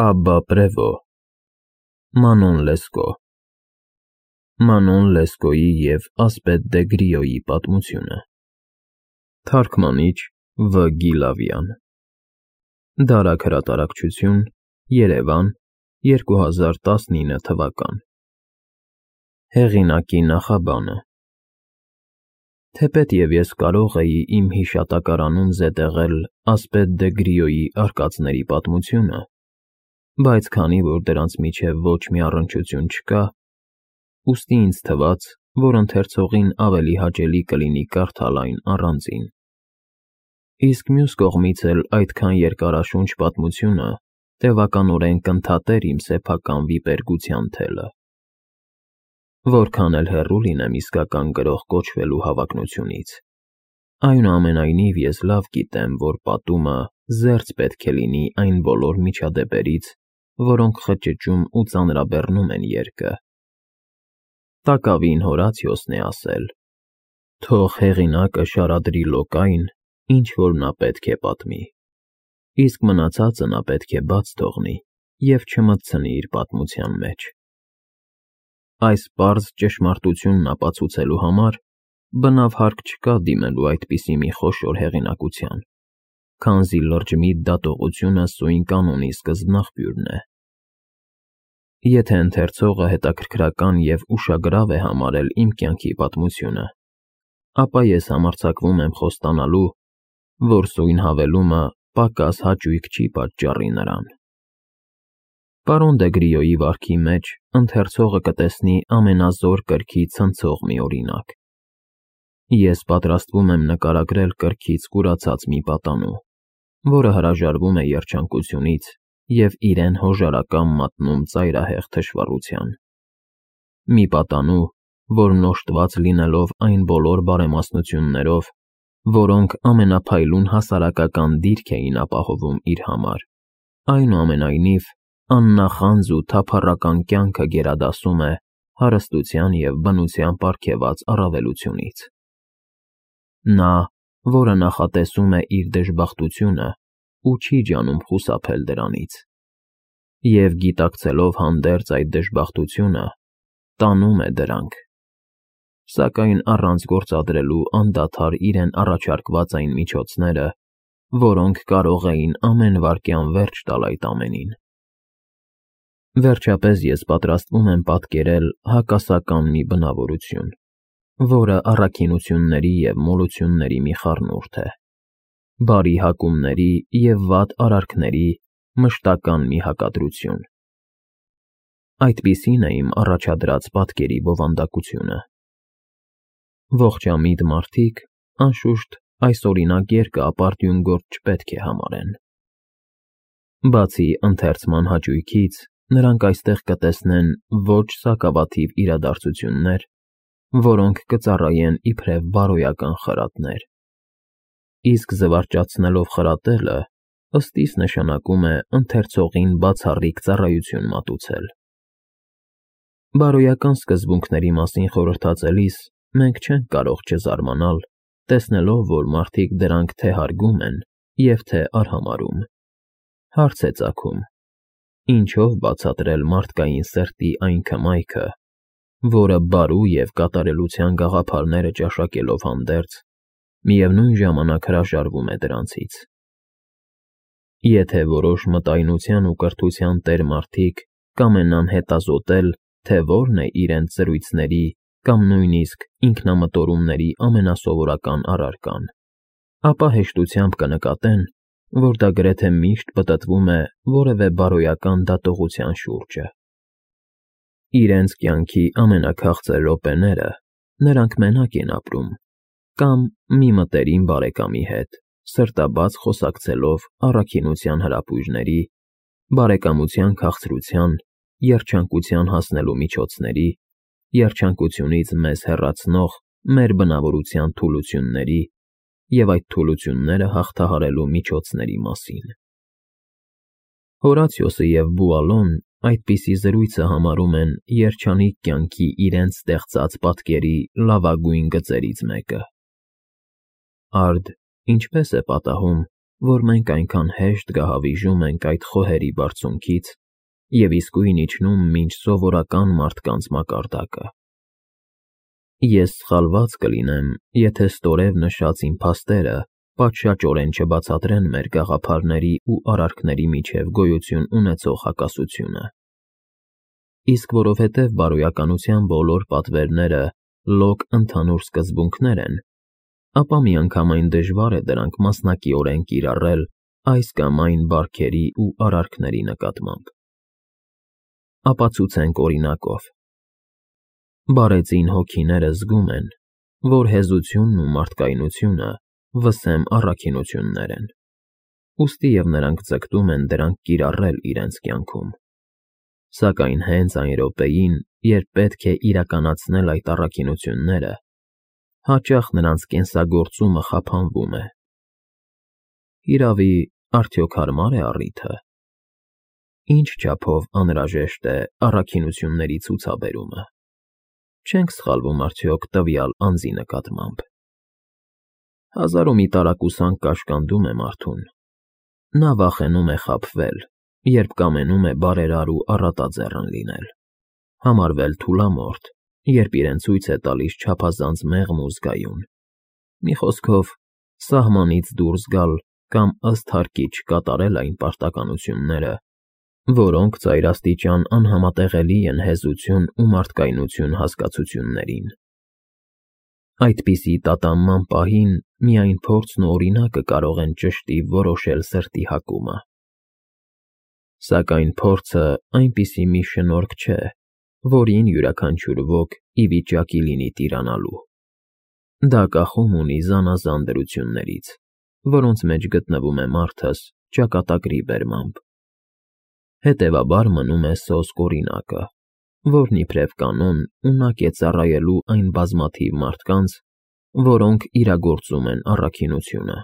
Աբբա Պրևո Մանոն Լեսկո Մանոն Լեսկոյի և Ասպետ դե Գրիոյի պատմությունը Թարգմանիչ Վ. Գիլավյան Դարակ հրատարակչություն Երևան 2019 թվական Հեղինակի նախաբանը Թեպետ և ես կարող էի իմ հիշատակարանում զետեղել Ասպետ դե Գրիոյի արկածների պատմությունը, բայց քանի որ դրանց միջև ոչ մի առնչություն չկա, ուստի ինձ թվաց, որ ընթերցողին ավելի հաճելի կլինի կարդալ այն առանձին։ Իսկ մյուս կողմից էլ այդքան երկարաշունչ պատմությունը տևականորեն կընդհատեր իմ սեփական վիպերգության թելը։ Որքան էլ հեռու լինեմ իսկական գրող կոչվելու հավակնությունից, այնուամենայնիվ ես լավ գիտեմ, որ պատումը զերծ պետք է լինի այն բոլոր միջադեպերից, որոնք խճճում ու ծանրաբեռնում են երգը։ Տակավին Հորացիոսն է ասել. «Թող հեղինակը շարադրի լոկային, ինչ որ նա պետք է պատմի, իսկ մնացածը նա պետք է բաց թողնի և չմտցնի իր պատմության մեջ»։ Այս պարզ ճշմարտությունն ապացուցելու համար բնավ հարկ չկա դիմելու այդպիսի մի խոշոր հեղինակության, քանզի լրջմիտ դատողությունը սույն կանոնի սկզբնաղբյուրն է։ Եթե ընթերցողը հետաքրքրական և ուշագրավ է համարել իմ կյանքի պատմությունը, ապա ես համարձակվում եմ խոստանալու, որ սույն հավելումը պակաս հաճույք չի պատճառի նրան։ Պարոն դե Գրիոյի վարքի մեջ ընթերցողը կտեսնի ամենազոր կրքի ցնցող մի օրինակ։ Ես պատրաստվում եմ նկարագրել կրքից կուրացած մի պատանու, որը հրաժարվում է երջանկությունից և իրեն հոժարակամ մատնում ծայրահեղ թշվառության։ Մի պատանու, որն օժտված լինելով այն բոլոր բարեմասնություններով, որոնք ամենափայլուն հասարակական դիրք էին ապահովում իր համար, այնուամենայնիվ աննախանձ ու թափառական կյանքը գերադասում է հարստության և բնության պարգևած առավելությունից։ Նա, որը նախատեսում է իր դժբախտությունը ու չի ջանում խուսափել դրանից, և գիտակցելով հանդերձ այդ դժբախտությունը, տանում է դրանք, սակայն առանց գործադրելու անդադար իրեն առաջարկված այն միջոցները, որոնք կարող էին ամեն վայրկյան վերջ տալ այդ ամենին։ Վերջապես ես պատրաստվում եմ պատկերել հակասական մի բնավորություն, որը առաքինությունների և մոլությունների մի խառնուրդ է, բարի հակումների և վատ արարքների մշտական մի հակադրություն։ Այդպիսին է իմ առաջադրած պատկերի բովանդակությունը։ Ողջամիտ մարդիկ, անշուշտ, այս օրինակ երկը ապարդյուն գործ չպետք է համարեն։ Բացի ընթերցման հաճույքից, նրանք այստեղ կտեսնեն ոչ սակավաթիվ իրադարձություններ, որոնք կծառայեն իբրև բարոյական խրատներ։ Իսկ զվարճացնելով խրատելը, ըստ իս նշանակում է ընթերցողին բացառիկ ծառայություն մատուցել։ Բարոյական սկզբունքների մասին խորհրդածելիս մենք չենք կարող չզարմանալ, տեսնելով, որ մարդիկ դրանք թե հարգում են և թե արհամարհում։ Հարց է ծագում. ինչով բացատրել մարդկային սրտի այն քմայքը, որը բարու և կատարելության գաղափարները ճաշակելով հանդերձ, միևնույն ժամանակ հրաժարվում է դրանցից։ Եթե որոշ մտայնության ու կրթության տեր մարդիկ կամենան հետազոտել, թե որն է իրենց զրույցների կամ նույնիսկ ինքնամտորումների ամենասովորական առարկան, ապա հեշտությամբ կնկատեն, որ դա գրեթե միշտ պտտվում է որևէ բարոյական դատողության շուրջը։ Իրենց կյանքի ամենաքաղցր րոպեները նրանք մենակ են ապրում կամ մի մտերիմ բարեկամի հետ, սրտաբաց խոսակցելով առաքինության հրապույրների, բարեկամության քաղցրության, երջանկության հասնելու միջոցների, երջանկությունից մեզ հեռացնող մեր բնավորության թուլությունների և այդ թուլությունները հաղթահարելու միջոցների մասին։ Հորացիոսը և Բուալոն այդպիսի զրույցը համարում են երջանիկ կյանքի իրենց ստեղծած պատկերի լավագույն գծերից մեկը։ Արդ ինչպե՞ս է պատահում, որ մենք այնքան հեշտ գահավիժում ենք այդ խոհերի բարձունքից և իսկույն իջնում մինչ սովորական մարդկանց մակարդակը։ Ես սխալված կլինեմ, եթե ստորև նշած իմ փաստերը պատշաճորեն չբացատրեն մեր գաղափարների ու արարքների միջև գոյություն ունեցող հակասությունը։ Իսկ որովհետև բարոյականության բոլոր պատվերները լոկ ընդհանուր սկզբունքներ են, ապա միանգամայն դժվար է դրանք մասնակիորեն կիրառել այս կամ այն բարքերի ու արարքների նկատմամբ։ Ապացուցենք օրինակով։ Բարեծին հոգիները զգում են, որ հեզությունն ու մարդկայնությունը վսեմ առաքինություններ են, ուստի և նրանք ձգտում են դրանք կիրառել իրենց կյանքում։ Սակայն հենց այն րոպեին, երբ պետք է իրականացնել այդ առաքինությունները, հաճախ նրանց կենսագործումը խափանվում է։ Հիրավի, արդյոք հարմար է առիթը։ Ինչ չափով անհրաժեշտ է առաքինությունների ցուցաբերումը։ Չենք սխալվում արդյոք տվյալ անձի նկատմամբ։ Հազար ու մի տարակուսանք կաշկանդում է մարդուն։ Նա վախենում է խաբվել, երբ կամենում է բարերար ու առատաձեռն լինել, համարվել թուլամորթ, երբ իրեն ցույց է տալիս չափազանց մեղմ ու զգայուն։ Մի խոսքով, սահմանից դուրս գալ կամ ըստ հարկի չկատարել այն պարտականությունները, որոնք ծայրաստիճան անհամատեղելի են հեզություն ու մարդկայնություն հասկացություններին։ Այդպիսի տատանման պահին միայն փորձն ու օրինակը կարող են ճշտի որոշել սրտի հակումը։ Սակայն փորձը այնպիսի մի շնորհք չէ, որին յուրաքանչյուր ոք ի վիճակի լինի տիրանալու։ Դա կախում ունի զանազան դրություններից, որոնց մեջ գտնվում է մարդս ճակատագրի բերմամբ։ Հետևաբար մնում է սոսկ օրինակը, որն իբրև կանոն ունակ է ծառայելու այն բազմաթիվ մարդկանց, որոնք իրագործում են առաքինությունը։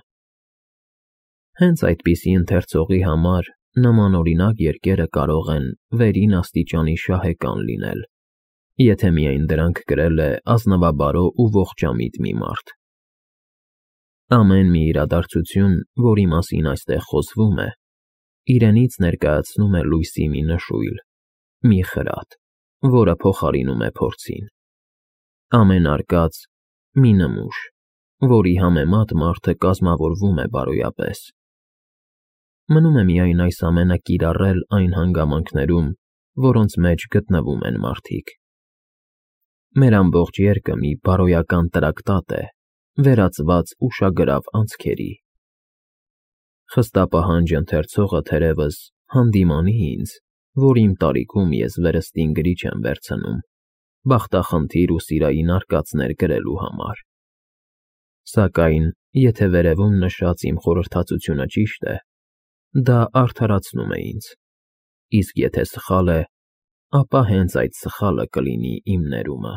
Հենց այդպիսի ընթերցողի համար նման օրինակ երկերը կարող են վերին աստիճանի շահեկան լինել, եթե միայն դրանք գրել է ազնվաբարո ու ողջամիտ մի մարդ։ Ամեն մի իրադարձություն, որի մասին այստեղ խոսվում է, իրենից ներկայացնում է լույսի մի նշույլ, մի խրատ, որը փոխարինում է փորձին։ Ամեն արկած՝ մի նմուշ, որի համեմատ մարդը կազմավորվում է բարոյապես։ Մնում է միայն այս ամենը կիրառել այն հանգամանքներում, որոնց մեջ գտնվում են մարդիկ։ Մեր ամբողջ երկը մի բարոյական տրակտատ է, վերածված ուշագրավ անցքերի։ Խստապահանջ ընթերցողը թերևս հանդիմանի ինձ, որ իմ տարիքում ես վերստին գրիչ եմ վերցնում, բախտախնդիր ու սիրային արկածներ գրելու համար։ Սակայն, եթե վերևում նշած իմ խորհրդածությունը ճիշտ է, դա արդարացնում է ինձ, իսկ եթե սխալ է, ապա հենց այդ սխալը կլինի իմ ներումը։